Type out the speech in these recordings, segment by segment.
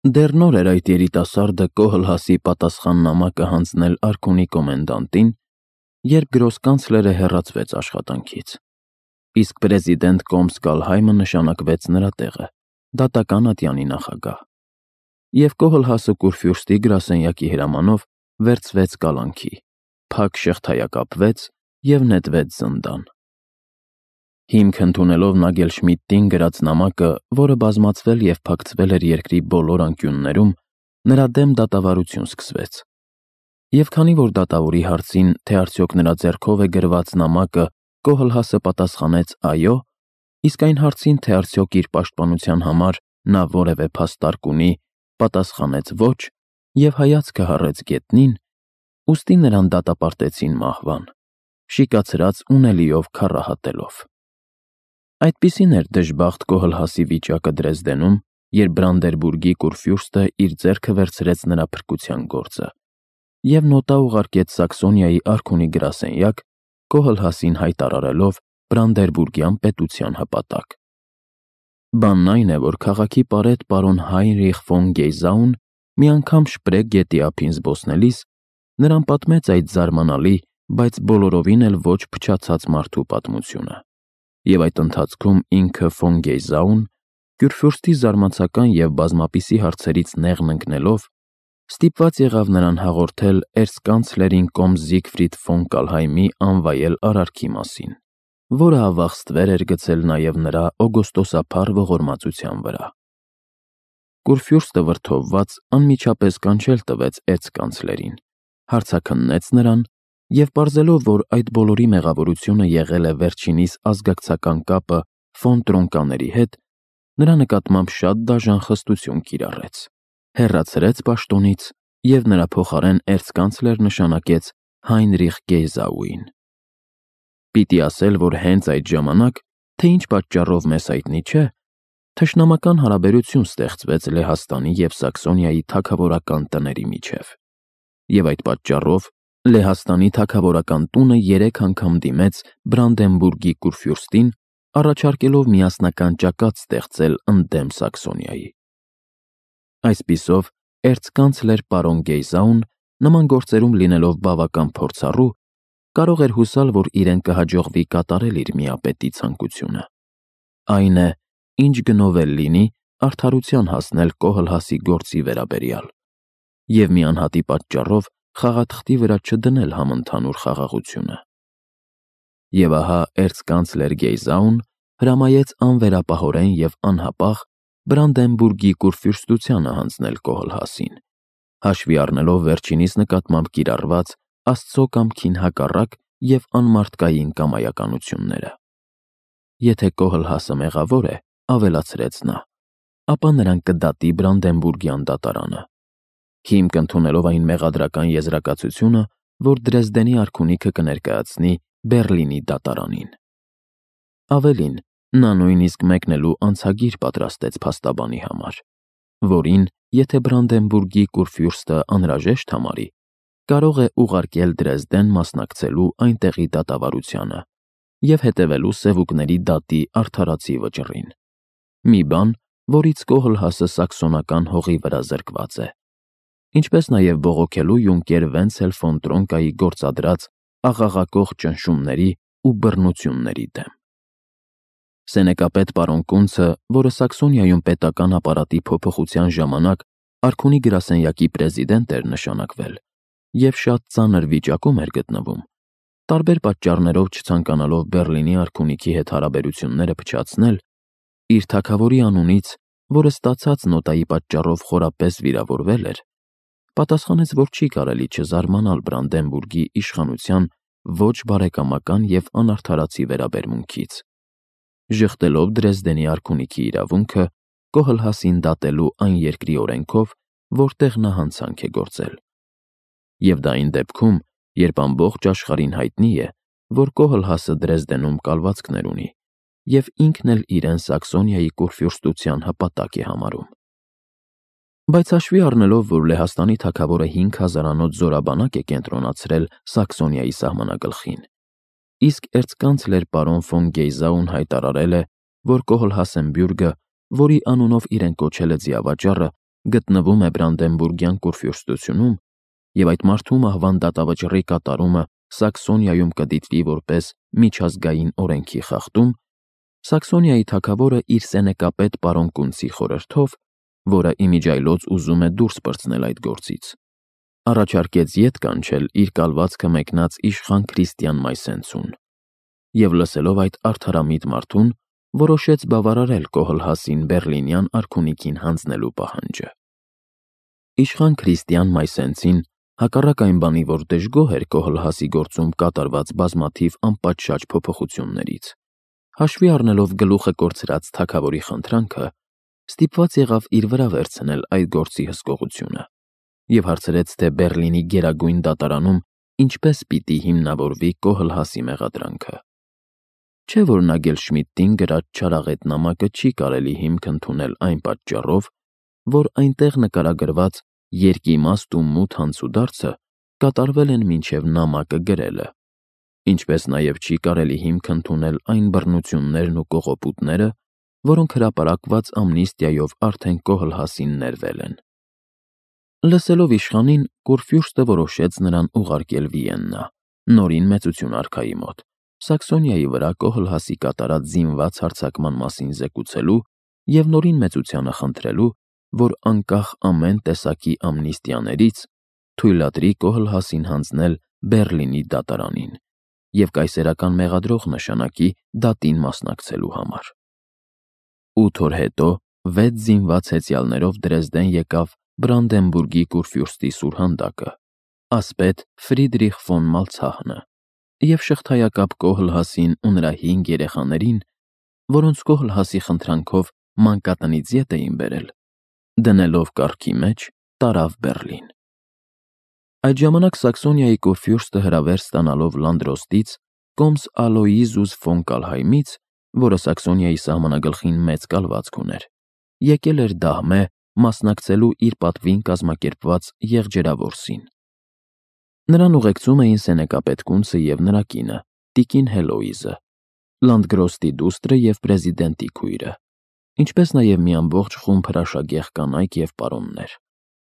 Դեռ նոր էր այդ երիտասարդը Կոհլհասի պատասխաննամակը հանձնել արքունի կոմենդանտին, երբ գրոսկանցլերը հեռացվեց աշխատանքից, իսկ պրեզիդենտ Կոմսկալհայմը նշանակվեց նրա տեղը, դատական ատյանի նախագահ, և Կոհլհասը կուրֆյուրստի գրասենյակի հրամանով վերցվեց կալանքի, փակ շղթայակապվեց և նետվեց զնդան։ Հիմք ընդունելով Նագելշմիդտին գրած նամակը, որը բազմացվել և փակցվել էր երկրի բոլոր անկյուններում, նրա դեմ դատավարություն սկսվեց։ Եվ քանի որ դատավորի հարցին, թե արդյոք նրա ձեռքով է գրված նամակը, Կոհլհասը պատասխանեց այո, իսկ այն հարցին, թե արդյոք իր պաշտպանության համար նա որևէ փաստ ունի, պատասխանեց ոչ և հայացքը հառեց գետնին, ուստի նրան դատապարտեցին մահվան, շիկացրած ունելիով քառահատելով։ Այդպիսին էր դժբախտ Կոհլհասի վիճակը Դրեզդենում, երբ Բրանդերբուրգի կուրֆյուրստը իր ձեռքը վերցրեց նրա փրկության գործը և նոտա ուղարկեց Սաքսոնիայի արքունի գրասենյակ, Կոհլհասին հայտարարելով Բրանդերբուրգյան պետության հպատակ։ Բանն այն է, որ քաղաքի պարետ պարոն Հայնրիխ ֆոն Գեյզաուն մի անգամ Շպրեգ գետի ափին զբոսնելիս նրան պատմեց այդ զարմանալի, բայց բոլորովին էլ ոչ փչացած մարդու պատմությունը, և այդ ընթացքում ինքը ֆոն Գեյզաուն, Կյուրֆյուրստի զարմացական և բազմապիսի հարցերից նեղն ընկնելով, ստիպված եղավ նրան հաղորդել էրցկանցլերին կոմս Զիգֆրիդ ֆոն Կալհայմի անվայել արարքի մասին, որը ավաղ էր գցել նաև նրա օգոստոսափառ ողորմածության վրա։ Կուրֆյուրստը վրդովված անմիջապես կանչել տվեց էրցկանցլերին, հարցաքննեց նրան և պարզելով, որ այդ բոլորի մեղավորությունը եղել է վերջինիս ազգակցական կապը ֆոն Տրոնկաների հետ, նրա նկատմամբ շատ դաժան խստություն կիրառեց, հեռացրեց պաշտոնից և նրա փոխարեն էրցկանցլեր նշանակեց Հայնրիխ Գեյզաուին։ Պիտի ասել, որ հենց այդ ժամանակ, թե ինչ պատճառով մեզ հայտնի չէ, թշնամական հարաբերություն ստեղծվեց Լեհաստանի և Սաքսոնիայի թագավորական տների միջև, և այդ պատճառով Լեհաստանի թագավորական տունը 3 անգամ դիմեց Բրանդենբուրգի կուրֆյուրստին, առաջարկելով միասնական ճակատ ստեղծել ընդդեմ Սաքսոնիայի։ Այսպիսով, էրցկանցլեր պարոն Գեյզաուն, նման գործերում լինելով բավական փորձառու, կարող էր հուսալ, որ իրեն կհաջողվի կատարել իր միապետի ցանկությունը, այն է, ինչ գնով էլ լինի, արդարության հասնել Կոհլհասի գործի վերաբերյալ և մի անհատի պատճառով խաղաթղթի վրա չդնել համընդհանուր խաղաղությունը։ Եվ ահա էրցկանցլեր Գեյզաուն հրամայեց անվերապահորեն և անհապաղ Բրանդենբուրգի կուրֆյուրստությանը հանձնել Կոհլհասին, հաշվի առնելով վերջինիս նկատմամբ կիրառված Աստծո կամքին հակառակ և անմարդկային կամայականությունները։ Եթե Կոհլհասը մեղավոր է, ավելացրեց նա, ապա նրան կդատի Բրանդենբուրգյան դատարանը, հիմք ընդունելով այն մեղադրական եզրակացությունը, որ Դրեզդենի արքունիքը կներկայացնի Բեռլինի դատարանին։ Ավելին, նա նույնիսկ մեկնելու անցագիր պատրաստեց փաստաբանի համար, որին, եթե Բրանդենբուրգի կուրֆյուրստը անհրաժեշտ համարի, կարող է ուղարկել Դրեզդեն մասնակցելու այնտեղի դատավարությանը և հետևելու սևուկների դատի արդարացի վճռին, մի բան, որից Կոհլհասը սաքսոնական հողի վրա զրկված է, ինչպես նաև բողոքելու յունկեր Վենցել ֆոն Տրոնկայի գործադրած աղաղակող ճնշումների ու բռնությունների դեմ։ Սենեկապետ պարոն Կունցը, որը Սաքսոնիայում պետական ապարատի փոփոխության ժամանակ արքունի գրասենյակի պրեզիդենտ էր նշանակվել և շատ ծանր վիճակում էր գտնվում, տարբեր պատճառներով չցանկանալով Բեռլինի արքունիքի հետ հարաբերությունները փչացնել, իր թագավորի անունից, որը ստացած նոտայի պատճառով խորապես վիրավորվել էր, պատասխանեց, որ չի կարելի չզարմանալ Բրանդենբուրգի իշխանության ոչ բարեկամական և անարդարացի վերաբերմունքից, ժխտելով Դրեզդենի արքունիքի իրավունքը Կոհլհասին դատելու այն երկրի օրենքով, որտեղ նա հանցանք է գործել, և դա այն դեպքում, երբ ամբողջ աշխարհին հայտնի է, որ Կոհլհասը Դրեզդենում կալվածքներ ունի և ինքն էլ իրեն Սաքսոնիայի կուրֆյուրստության հպատակ է համարում։ Բայց հաշվի առնելով, որ Լեհաստանի թագավորը 5000-անոց զորաբանակ է կենտրոնացրել Սաքսոնիայի սահմանագլխին, իսկ էրցկանցլեր պարոն ֆոն Գեյզաուն հայտարարել է, որ Կոհլհասենբյուրգը, որի անունով իրեն կոչել է ձիավաճառը, գտնվում է Բրանդենբուրգյան կուրֆյուրստությունում, եւ այդ մարդու մահվան դատավճռի կատարումը Սաքսոնիայում կդիտվի որպես միջազգային օրենքի խախտում, Սաքսոնիայի թագավորը իր սենեկապետ պարոն Կունցի խորհրդով, որը իմիջիայլոց ուզում է դուրս պրծնել այդ գործից, առաջարկեց ետ կանչել իր կալվածքը մեկնած իշխան Քրիստիան Մայսենցուն, եւ լսելով այդ արդարամիտ մարդուն, որոշեց բավարարել Կոհլհասին Բեռլինյան արքունիքին հանձնելու պահանջը։ Իշխան Քրիստիան Մայսենցին, հակառակ այն բանի, որ դժգոհ էր Կոհլհասի գործում կատարված բազմաթիվ անպատշաճ փոփոխություններից, հաշվի առնելով գլուխը կորցրած թագավորի խնդրանքը, ստիպված եղավ իր վրա վերցնել այդ գործի հսկողությունը եւ հարցրեց, թե Բեռլինի Գերագույն դատարանում ինչպես պիտի հիմնավորվի Կոհլհասի մեղադրանքը։ Չէ՞ որ Նագելշմիդտին գրած չարաղետ նամակը չի կարելի հիմք ընդունել այն պատճառով, որ այնտեղ նկարագրված երկիմաստ ու մութ հանցուդարձը կատարվել են մինչև նամակը գրելը, ինչպես նաև չի կարելի հիմք ընդունել այն բռնություններն ու կողոպուտները, որոնք հրապարակված ամնիստիայով արդեն Կոհլհասին ներվել են։ Լսելով իշխանին, Կուրֆյուրստը որոշեց նրան ուղարկել Վիեննա, նորին մեծություն արքայի մոտ, Սաքսոնիայի վրա Կոհլհասի կատարած զինված հարձակման մասին զեկուցելու եւ նորին մեծությանը խնդրելու, որ անկախ ամեն տեսակի ամնիստիաներից թույլատրի Կոհլհասին հանձնել Բեռլինի դատարանին եւ կայսերական մեղադրող նշանակի դատին մասնակցելու համար։ 8 օր հետո 6 զինված հեծյալներով Դրեզդեն եկավ Բրանդենբուրգի կուրֆյուրստի սուրհանդակը, ասպետ Ֆրիդրիխ ֆոն Մալցահնը, եւ շղթայակապ Կոհլհասին ու նրա 5 երեխաներին, որոնց Կոհլհասի խնդրանքով մանկատնից ետ էին բերել, դնելով կառքի մեջ տարավ Բեռլին։ Այդ ժամանակ Սաքսոնիայի կուրֆյուրստը հրավեր ստանալով Լանդրոստից կոմս Ալոիզուս ֆոն Կալհայմից, որը Սաքսոնիայի սահմանագլխին մեծ կալվածք ուներ, եկել էր Դահմե մասնակցելու իր պատվին կազմակերպված եղջերավորսին։ Նրան ուղեկցում էին սենեկապետ Կունցը եւ նրա կինը, տիկին Հելոիզը, Լանդգրոստի դուստրը եւ պրեզիդենտի քույրը, ինչպես նաեւ մի ամբողջ խումբ հրաշագեղ կանայք եւ պարոններ,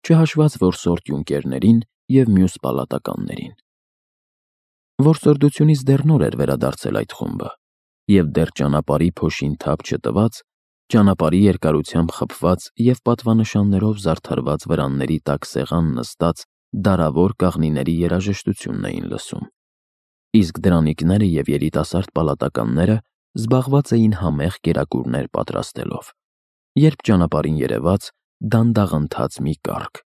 չհաշված որսորդ յունկերներին եւ մյուս պալատականներին։ Որսորդությունից դեռ նոր էր վերադարձել այդ խումբը, եւ դեռ ճանապարհի փոշին թափ չտված, ճանապարհի երկարությամբ խփված եւ պատվանշաններով զարդարված վրանների տակ սեղան նստած դարավոր կաղնիների երաժշտությունն էին լսում, իսկ դրանիկները եւ երիտասարդ պալատականները զբաղված էին համեղ կերակուրներ պատրաստելով, երբ ճանապարհին երևաց դանդաղընթաց մի կառք,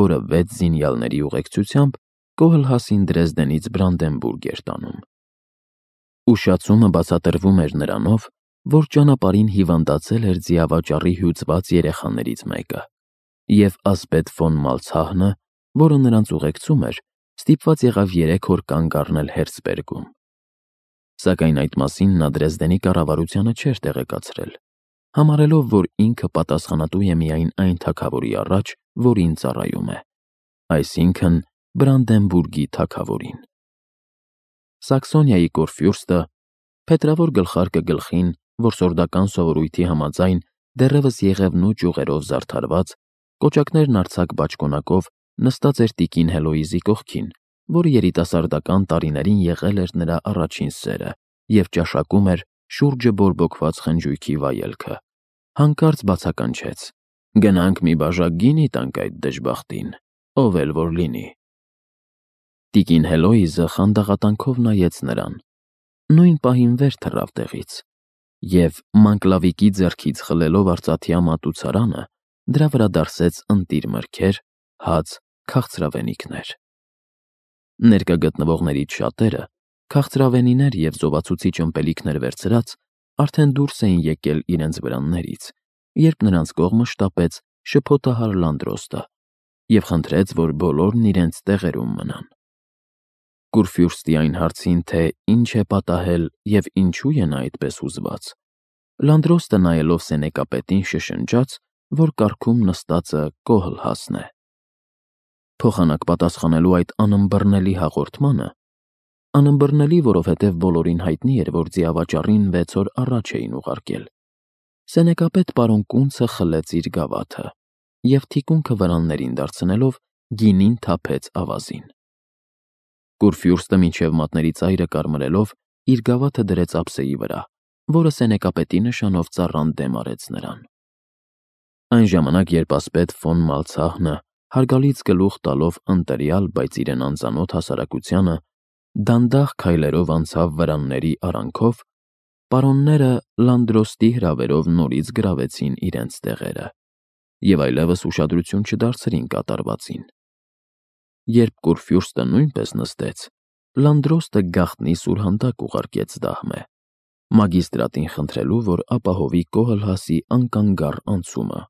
որը 6 զինյալների ուղեկցությամբ Կոհլհասին Դրեզդենից Բրանդենբուրգ էր տանում։ Ուշացումը բացատրվում էր նրանով, որ ճանապարհին հիվանդացել էր ձիավաճառի հյուծված երեխաներից մեկը, եւ ասպետ ֆոն Մալցահնը, որը նրանց ուղեկցում էր, ստիպված եղավ 3 օր կանգ առնել Հերցբերգում։ Սակայն այդ մասին նա Դրեզդենի կառավարությանը չէր տեղեկացրել, համարելով, որ ինքը պատասխանատու է միայն այն թագավորի առաջ, որին ծառայում է, այսինքն Բրանդենբուրգի թագավորին։ Սաքսոնիայի կորֆյուրստը, փետրավոր գլխարկը գլխին, որսորդական սովորույթի համաձայն դեռևս եղևնու ճյուղերով զարդարված, կոճակներն արձակ բաճկոնակով նստած էր տիկին Հելոիզի կողքին, որ երիտասարդական տարիներին եղել էր նրա առաջին սերը եւ ճաշակում էր շուրջը բորբոքված խնջույքի վայելքը, հանկարծ բացականչեց. «Գնանք մի բաժակ գինի տանք այդ դժբախտին, ով էլ որ լինի»։ Տիկին Հելոիզը խանդաղատանքով նայեց նրան, նույն պահին վեր թռավ տեղից եւ մանկլավիկի ձեռքից խլելով արծաթյա մատուցարանը, դրա վրա դարսեց ընտիր մրգեր, հաց, քաղցրավենիքներ։ Ներկա գտնվողներից շատերը, քաղցրավենիներ եւ զովացուցիչ ըմպելիքներ վերցրած, արդեն դուրս էին եկել իրենց վրաններից, երբ նրանց կողմը շտապեց շփոթահար Լանդրոստը եւ խնդրեց, որ բոլորն իրենց տեղերում մնան։ Կուրֆյուրստի այն հարցին, թե ինչ է պատահել եւ ինչու է նա այդպես հուզված, Լանդրոստը նայելով սենեկապետին շշնջաց, որ կառքում նստածը Կոհլհասն է։ Փոխանակ պատասխանելու այդ անըմբռնելի հաղորդմանը, անըմբռնելի, որովհետև բոլորին հայտնի էր, որ ձիավաճառին 6 օր առաջ էին ուղարկել, սենեկապետ պարոն Կունցը խլեց իր գավաթը և թիկունքը վրաններին դարձնելով գինին թափեց ավազին։ Կուրֆյուրստը մինչև մատների ծայրը կարմրելով իր գավաթը դրեց ափսեի վրա, որը սենեկապետի նշանով ծառան դեմ արեց նրան։ Այն ժամանակ, երբ ասպետ ֆոն Մալցահնը հարգալից գլուխ տալով ընտրյալ, բայց իրեն անծանոթ հասարակությանը, դանդաղ քայլերով անցավ վրանների արանքով, պարոնները Լանդրոստի հրավերով նորից գրավեցին իրենց տեղերը և այլևս ուշադրություն չդարձրին կատարվածին։ Երբ Կուրֆյուրստը նույնպես նստեց, Լանդրոստը գաղտնի սուրհանդակ ուղարկեց դահմե, մագիստրատին խնդրելու, որ ապահովի Կոհլհասի անկանգառ անցումը։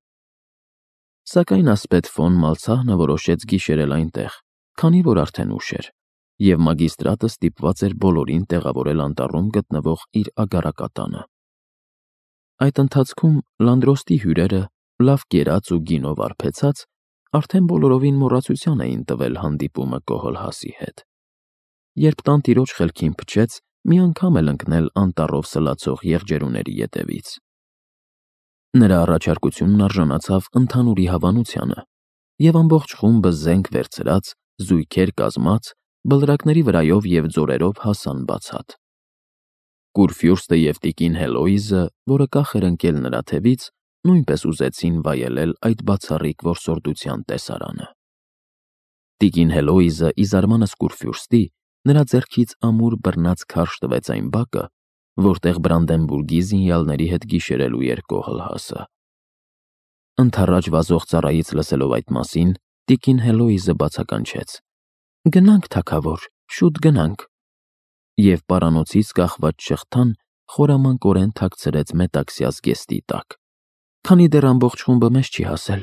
Սակայն ասպետ ֆոն Մալցահնը որոշեց գիշերել այնտեղ, քանի որ արդեն ուշ էր, և մագիստրատը ստիպված էր բոլորին տեղավորել անտառում գտնվող իր ագարակատանը։ Այդ ընթացքում Լանդրոստի հյուրերը, լավ կերած ու գինով արբեցած, արդեն բոլորովին մոռացության էին տվել հանդիպումը Կոհլհասի հետ։ Երբ տանտիրոջ խելքին փչեց մի անգամ էլ ընկնել անտառով սլացող եղջերուների ետևից։ Նրա առաջարկությունն արժանացավ ընդհանուրի հավանությանը, և ամբողջ խումբը զենք վերցրած, զույգեր կազմած, բլրակների վրայով և ձորերով հասան բացատ։ Կուրֆյուրստը և տիկին Հելոիզը, որը կախ էր ընկել նրա թևից, նույնպես ուզեցին վայելել այդ բացառիկ որսորդության տեսարանը։ Տիկին Հելոիզը, ի զարմանս Կուրֆյուրստի, նրա ձեռքից ամուր բռնած քարշ տվեց այն բակը, որտեղ Բրանդենբուրգի զինյալների հետ գիշերելու էր Կոհլհասը։ Ընդառաջ վազող ծառայից լսելով այդ մասին, տիկին Հելոիզը բացականչեց. «Գնանք, թագավոր, շուտ գնանք», և պարանոցից կախված շղթան խորամանկորեն թաքցրեց մետաքսյա զգեստի տակ։ «Քանի դեռ ամբողջ խումբը մեզ չի հասել,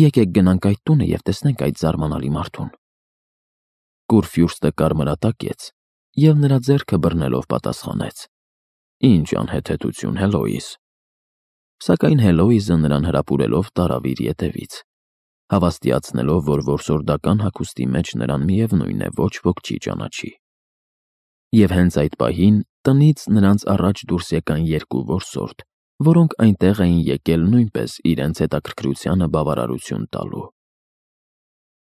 եկեք գնանք այդ տունը և տեսնենք այդ զարմանալի մարդուն»։ Կուրֆյուրստը կարմրատակեց և նրա ձեռքը բռնելով պատասխանեց. «Ինչ անհեթեթություն, Հելոիզ»։ Սակայն Հելոիզը նրան հրապուրելով տարավ իր ետևից, հավաստիացնելով, որ որսորդական հագուստի մեջ նրան միևնույն է ոչ ոք չի ճանաչի։ Եվ հենց այդ պահին տնից նրանց առաջ դուրս եկան երկու որսորդ, որոնք այնտեղ էին եկել նույնպես իրենց հետաքրքրությանը բավարարություն տալու։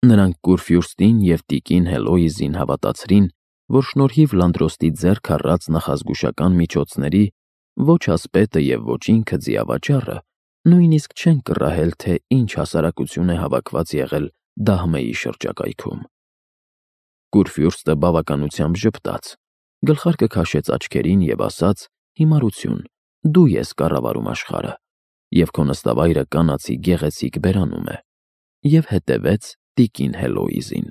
Նրանք Կուրֆյուրստին և տիկին Հելոիզին հավատացրին, որ շնորհիվ Լանդրոստի ձեռք առած նախազգուշական միջոցների ոչ ասպետը և ոչ ինքը ձիավաճառը նույնիսկ չեն կռահել, թե ինչ հասարակություն է հավաքված եղել Դահմեի շրջակայքում։ Կուրֆյուրստը բավականությամբ ժպտաց, գլխարկը քաշեց աչքերին և ասաց. «Հիմարություն, դու ես կառավարում աշխարհը, և քո նստավայրը կանացի գեղեցիկ բերանում է», և հետևեց տիկին Հելոիզին։